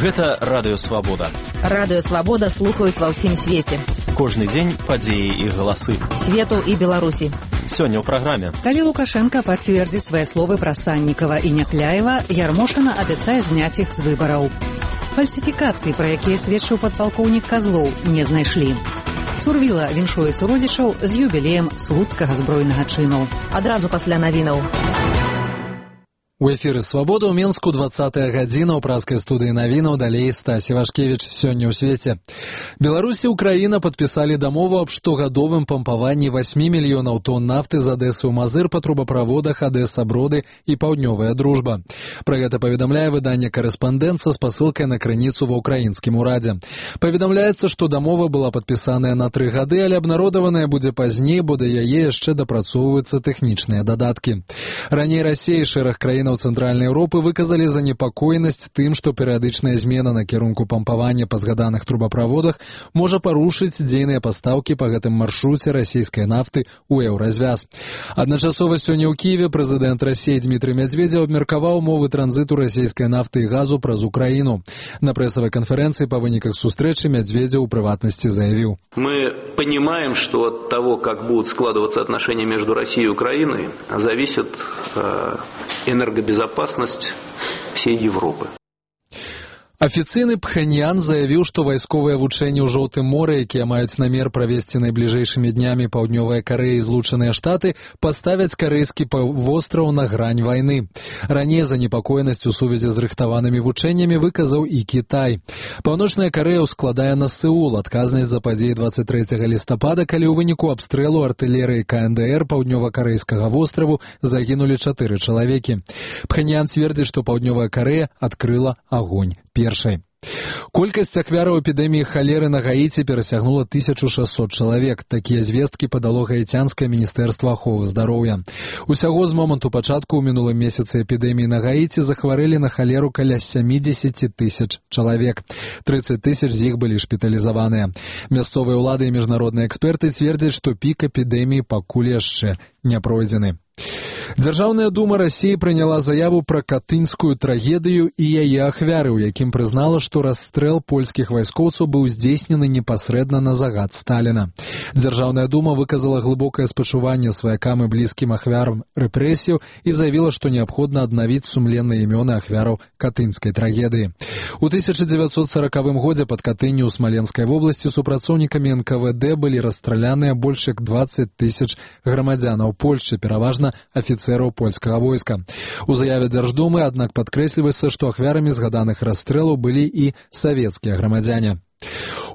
Гэта Радыё Свабода. Радыё Свабода слухаюць ва ўсім свеце. Кожны дзень падзеі і галасы. Свету і Беларусі. Сёння ў праграме. Калі Лукашенко пацвердзіць свае словы пра Саннікава і Някляева, Ярмошына абяцае зняць іх з выбараў. Фальсіфікацыі, пра якія сведчыў падпалкоўнік Казлоў, не знайшлі. Сурвіла віншуе суродзічаў з юбілеем слуцкага збройнага чыну. Адразу пасля навінаў. У эфіры «Свабода» ў Менску 20-я гадзіна ў праскай студыі навінаў, далей Стась Івашкевіч. Сёння ў свеце. Беларусь і Украіна падпісалі дамову аб штогадовым пампаванні 8 мільёнаў тонн нафты з Адэсы ў Мазыр па трубаправодах Адэса-Броды і Паўднёвая Дружба. Пра гэта паведамляе выданне «Карэспандэнт» са спасылкай на крыніцу ва ўкраінскім урадзе. Паведамляецца, што дамова была падпісаная на 3 гады, але абнародаваная будзе пазней, бо да яе яшчэ дапрацоўваюцца тэхнічныя дадаткі. Раней Расія і шэраг краін Цэнтральнай Еўропы выказалі занепакоенасць тым, што перыядычная змена накірунку пампавання па згаданых трубаправодах можа парушыць дзейныя пастаўкі па гэтым маршруце расійскай нафты ў еўразвяз. Адначасова сёння ў Кіеве прэзідэнт Расіі Дмітрый Медведзеў абмеркаваў умовы транзіту расійскай нафты і газу праз Украіну. На прэсавай канферэнцыі па выніках сустрэчы Медведзеў у прыватнасці заявіў: «Мы понимаем, что от того, как будут складываться отношения между Россией и Украиной, зависит энергобезопасность всей Европы». Афіцыйны Пхэньян заявіў, што вайсковыя вучэнні ў Жоўтым моры, якія маюць намер правесці найбліжэйшымі днямі Паўднёвая Карэя і Злучаныя Штаты, паставяць карэйскі паўвостраў на грань вайны. Раней занепакоенасць у сувязі з рыхтаванымі вучэннямі выказаў і Кітай. Паўночная Карэя ўскладае на Сеул адказнасць за падзеі 23 лістапада, калі ў выніку абстрэлу артылерыі КНДР паўднёва-карэйскага востраву загінулі 4 чалавекі. Пхэньян цвердзіць, што Паўднёвая Карэя адкрыла агонь першай. Колькасць ахвяраў эпідэміі халеры на Гаіці перасягнула 1600 чалавек. Такія звесткі падало гаіцянскае міністэрства аховы здароўя. Усяго з моманту пачатку ў мінулым месяцы эпідэміі на Гаіці захварэлі на халеру каля 70 тысяч чалавек. 30 тысяч з іх былі шпіталізаваныя. Мясцовыя ўлады і міжнародныя эксперты цвердзяць, што пік эпідэміі пакуль яшчэ не пройдзены. Дзяржаўная дума Расіі прыняла заяву пра катынскую трагедыю і яе ахвяры, у якім прызнала, што расстрэл польскіх вайскоўцаў быў здзейснены непасрэдна на загад Сталіна. Дзяржаўная дума выказала глыбокае спачуванне сваякам і блізкім ахвярам рэпрэсіяў і заявіла, што неабходна аднавіць сумленныя імёны ахвяраў катынскай трагедыі. У 1940 годзе пад Катынню ў Смаленскай вобласці супрацоўнікамі НКВД былі расстраляныя больш як 20 тысяч грамадзянаў Польшчы, пераважна афіцэраў польскага войска. У заяве Дзярждумы, аднак, падкрэсліваецца, што ахвярамі згаданых расстрэлаў былі і савецкія грамадзяне.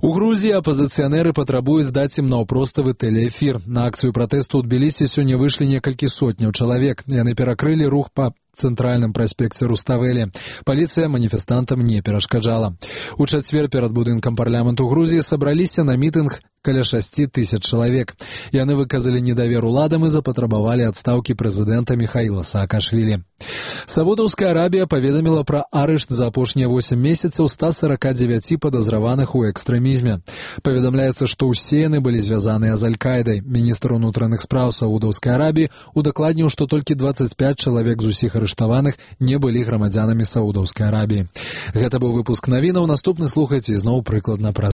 У Грузіі апазіцыянеры патрабуюць даць ім наўпроставы тэлеэфір. На акцыю пратэсту ў Тбілісі сёння выйшлі некалькі сотняў чалавек. Яны перакрылі рух па цэнтральным праспекце Руставелі. Паліцыя маніфестантам не перашкаджала. У чацвер перад будынкам парламенту Грузіі сабраліся на мітынг каля 6 тысяч чалавек. Яны выказалі недавер уладам і запатрабавалі адстаўкі прэзідэнта Міхаіла Саакашвілі. Саудаўская Арабія паведаміла пра арышт за апошнія 8 месяцаў 149 падазраваных у экстрэмізме. Паведамляецца, што ўсе яны былі звязаныя з Аль-Кайдай. Міністр унутраных спраў Саудаўскай Арабіі удакладніў, што толькі 25 чалавек з усіх арыштаваных не былі грамадзянамі Саудаўскай Арабіі. Гэта быў выпуск навінаў. Наступны слухайце зноў прыкладна праз